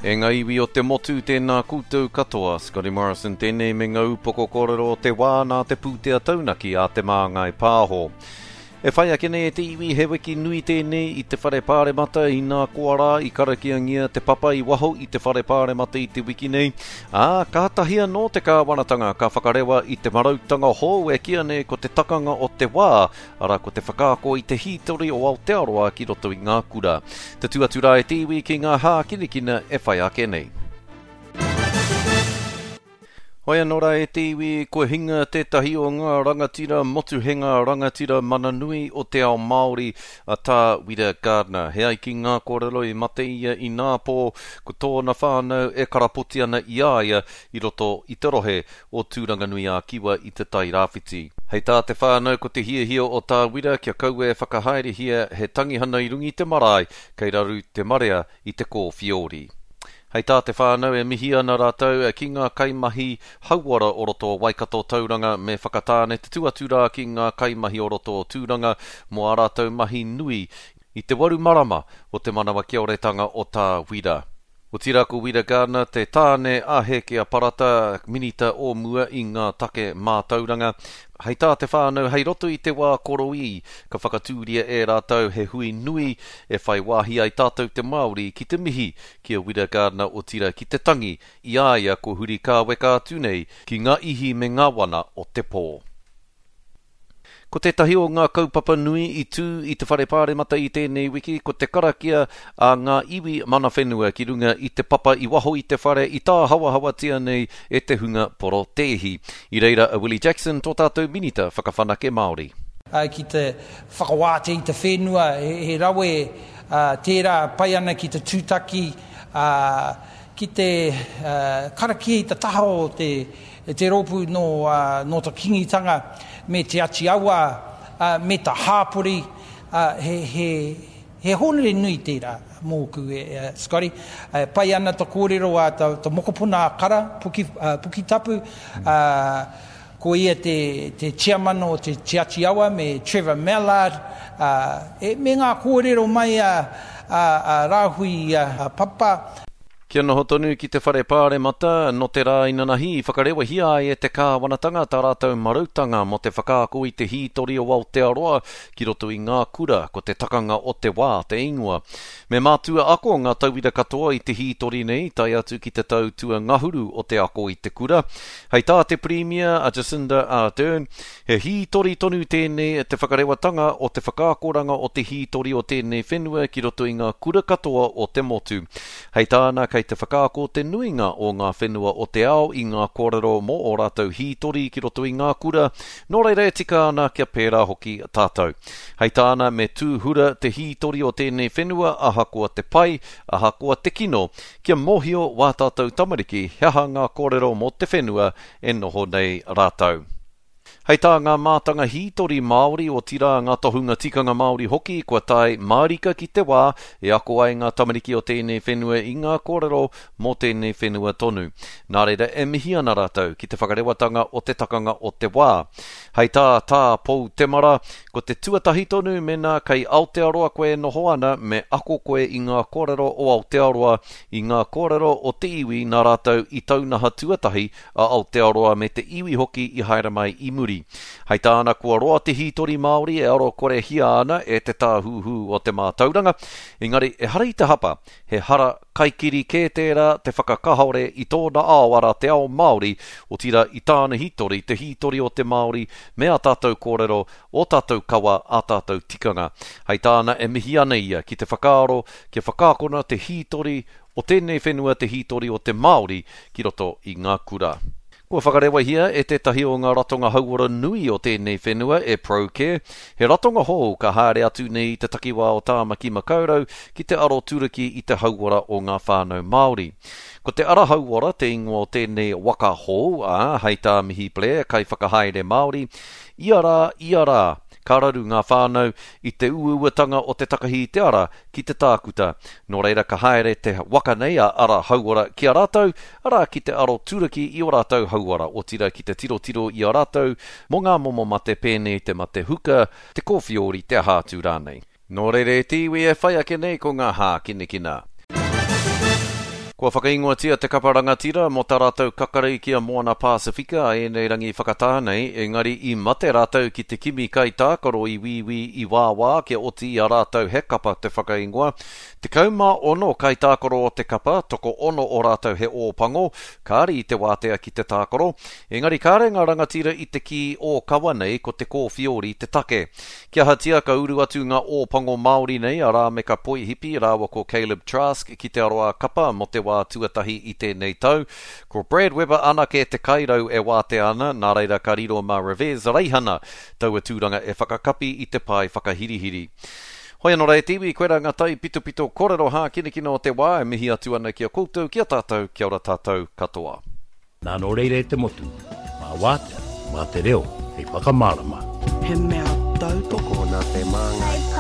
E ngā iwi o te motu, tēnā koutou katoa. Scotty Morrison tēnei me ngā upoko kōrero o te wā nā te pūtea taunaki a Te Māngai Pāho. E whai ake nei e te iwi he wiki nui tēnei i te whare pāremata inā koa rā i karakiangia te papa i waho i te whare pāremata i te wiki nei, ā, kātahi anō te kāwanatanga ka whakarewa i te marautanga hou e kīa nei ko te takanga o te wā, arā ko te whakaako i te hītori o Aotearoa ki roto i ngā kura. Tatū atu rā e te iwi ki ngā hākinakina e whai ake nei. Hoi anō rā e te iwi, kua hinga tētahi o ngā rangatira motuhenga, rangatira mana nui o te ao Māori, a Tā Wira Gardiner. He ai ki ngā kōrero i mate ia ināpō, ko tōna whānau e karapoti ana i a ia i roto i te rohe o Tūranganui-ā-Kiwa i Te Tai Rāwhiti. Hei tā te whānau ko te hiahia o Tā Wira kia kaua e whakahaerehia he tangihana i runga i te marae kei raru te marea i te kōwhiori. Hei tā te whānau e mihi ana rātou ki ngā kaimahi hauora o roto o Waikato, Tauranga me Whakatāne te tū atu rā ki ngā kaimahi o roto o Tūranga mō ā rātou mahi nui i te waru marama o te manawa kioretanga o Tā Wira. Otirā ko Wira Gardiner te tāne a Hēkea Parata, minita o mua i ngā take mātauranga. Hei tā te whānau, hei roto i te wā koroī, ka whakatūria e rātou he hui nui e whai wāhi ai tātou te Māori ki te mihi ki a Wira Gardiner otirā ki te tangi i a ia ko huri kāweka atu nei ki ngā ihi me ngā wana o te pō. Ko tētahi o ngā kaupapa nui i tū i te Whare Pāremata i tēnei wiki ko te karakia a ngā iwi mana whenua ki runga i te papa i waho i te whare i tāhawahawatia nei e te hunga porotēhi. I reira a Willie Jackson, tō tātou Minita Whakawhanake Māori. Ki te whakawātea i te whenua, he rawe tērā pai ana ki te tūtaki, ki te karakia i te taha o te Te rōpū nō, nō te Kingitanga me Te Ati Awa, me te hāpori, he, he, he hōnore nui tērā mōku, e, Scotty. E pai ana te kōrero a te, te mokopuna a Kara, Puki, Pukitapu, ko ia te, te tiamana o te Te Ati Awa me Trevor Mallard, e, me ngā kōrero mai a, a, a Rāhui Papa. Kia noho tonu ki te Whare Pāremata, nō te rā inanahi i whakarewahia ai e te kāwanatanga tā rātou marautanga mō te whakaako i te hītori o Aotearoa ki roto i ngā kura, ko Te Takanga o te Wā te ingoa. Me mātua ako ngā tauira katoa i te hītori nei, tae atu ki te tau tuangahuru o te ako i te kura. Hei tā te Pirimia a Jacinda Ardern, He hītori tonu tēnei te whakarewatanga o te whakaakoranga o te hītori o tēnei whenua ki roto i ngā kura katoa o te motu. Hei tāna kei te whakaako te nuinga o ngā whenua o te ao i ngā kōrero mō ō rātou hītori ki roto i ngā kura, nō reira e tika ana kia pērā hoki tātou. Hei tāna me tūhura te hītori o tēnei whenua ahakoa te pai, ahakoa te kino, kia mōhio wā tātou tamariki he aha ngā kōrero mō te whenua e noho nei rātou. Hei tā ngā mātanga hītori Māori, otirā ngā tohunga tikanga Māori hoki, kua tae mārika ki te wā e ako ai ngā tamariki o tēnei whenua i ngā kōrero mō tēnei whenua tonu. Nā reira e mihi ana rātou ki te whakarewatanga o te takanga o te wā. Hei tā Tā Pou Temara, ko te tuatahi tonu mēnā kei Aotearoa koe e noho ana me ako koe i ngā kōrero o Aotearoa, i ngā kōrero o te iwi nā rātou i taunaha tuatahi a Aotearoa me te iwi hoki i haere mai i muri. Hei tāna kua roa te hītori Māori e aro korehia ana e te tāhuhu o te mātauranga, engari ehara i te hapa, he hara kaikiri kē tērā te whakakahore i tōna ao arā te ao Māori, otirā i tāna hītori, te hītori o te Māori me ā tātou kōrero, ō tātou kawa, ā tātou tikanga. Hei tāna e mihi ana ia ki te whakaaro kia whakaakona te hītori o tēnei whenua te hītori o te Māori ki roto i ngā kura. Kua whakarewahia e tētahi o ngā ratonga hauora nui o tēnei whenua e ProCare, he ratonga hou ka haere atu nei i te takiwā o Tāmaki Makaurau ki te aroturuki i te hauora o ngā whānau Māori. Ko te Ara Hauora te ingoa o tēnei waka hou, ā, hei tā Mihi Blair, kaiwhakahaere Māori, ia rā, ia rā, Ka raru ngā whānau i te uauatanga o te takahi i te ara ki te tākuta. Nō reira ka haere te waka nei a Ara Hauora ki a rātou, arā ki te aro turaki i ō rātou hauora, otirā ki te tirotiro i a rātou mō ngā momo mate pēnei te mate huka, te kōwhiori, te aha atu rānei. Nō reira e te iwi e whai ake nei ko ngā hākinakina. Kua whakaingoatia te kapa rangatira mō tā rātou kakari ki a Moana Pasifika a ēnei rangi whakatā nei, engari i mate rātou ki te kimi kaitākaro i wīwī i wāwā kia oti i a rātou he kapa te whakaingoa. 16 kaitākaro o te kapa, tokoono o rātou he Ōpango, kāre i te wātea ki te tākaro. Engari kāre ngā rangatira i te kī ōkawa nei ko te kōwhiori te take. Kia ahatia ka uru atu ngā Ōpango Māori nei a Rāmeka Poihipi rāua ko Caleb Trask ki Te Aroā Kapa mō te wā tuatahi i tēnei tau. Ko Brad Weber anake te kairau e wātea ana, nā reira ka riro mā Revez Reihana taua tūranga e whakakapi i te pae whakahirihiri. Hoi anō rā e te iwi, koirā ngā taipitopito kōrero hākinakina o te wā e mihi atu ana ki a koutou, ki a tātou, kia ora tātou katoa. Nā nō reira e te motu, mā wātea, mā te reo hei whakamārama. He mea tautoko. Tokona te māngai.